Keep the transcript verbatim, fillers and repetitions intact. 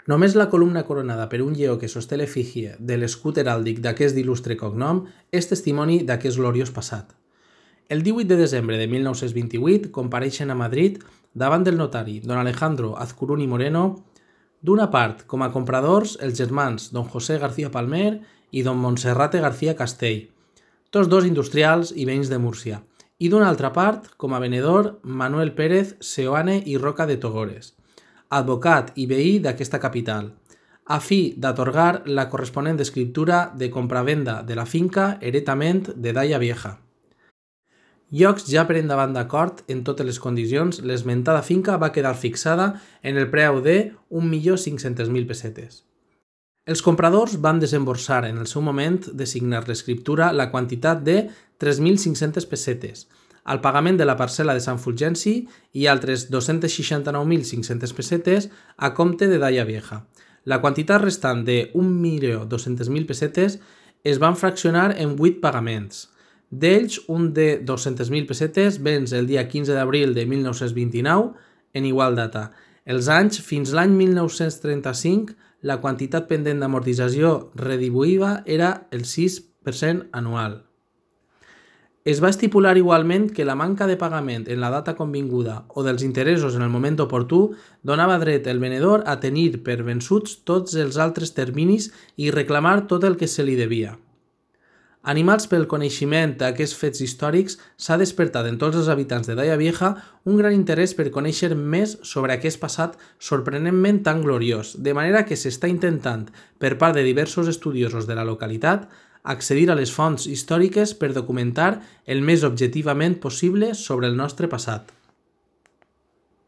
Només la columna coronada per un lleó que sosté l'efígie de l'escut heràldic d'aquest il·lustre cognom és testimoni d'aquest gloriós passat. El díhuit de desembre de mil nou-cents vint-i-vuit compareixen a Madrid davant del notari don Alejandro Azcuruni Moreno, d'una part com a compradors els germans don José García Palmer i don Monserrate García Castell, tots dos industrials i veïns de Múrcia, i d'una altra part com a venedor Manuel Pérez Seoane i Roca de Togores, advocat i veí d'aquesta capital, a fi d'atorgar la corresponent escriptura de compravenda de la finca heretament de Daia Vieja. Llocs ja per endavant d'acord en totes les condicions, l'esmentada finca va quedar fixada en el preu de un milió cinc-centes mil pessetes. Els compradors van desemborsar en el seu moment de signar l'escriptura la quantitat de tres mil cinc-centes pessetes, al pagament de la parcel·la de Sant Fulgenci i altres dos-cents seixanta-nou mil cinc-centes pessetes a compte de Daia Vieja. La quantitat restant de un milió dos-centes mil pessetes es van fraccionar en vuit pagaments. D'ells, un de dos-centes mil pessetes vens el dia quinze d'abril de mil nou-cents vint-i-nou en igual data. Els anys fins l'any mil nou-cents trenta-cinc, la quantitat pendent d'amortització redibuïva era el sis per cent anual. Es va estipular igualment que la manca de pagament en la data convinguda o dels interessos en el moment oportú donava dret el venedor a tenir per vençuts tots els altres terminis i reclamar tot el que se li devia. Animats pel coneixement d'aquests fets històrics, s'ha despertat en tots els habitants de Daia Vieja un gran interès per conèixer més sobre aquest passat sorprenentment tan gloriós, de manera que s'està intentant, per part de diversos estudiosos de la localitat, accedir a les fonts històriques per documentar el més objectivament possible sobre el nostre passat.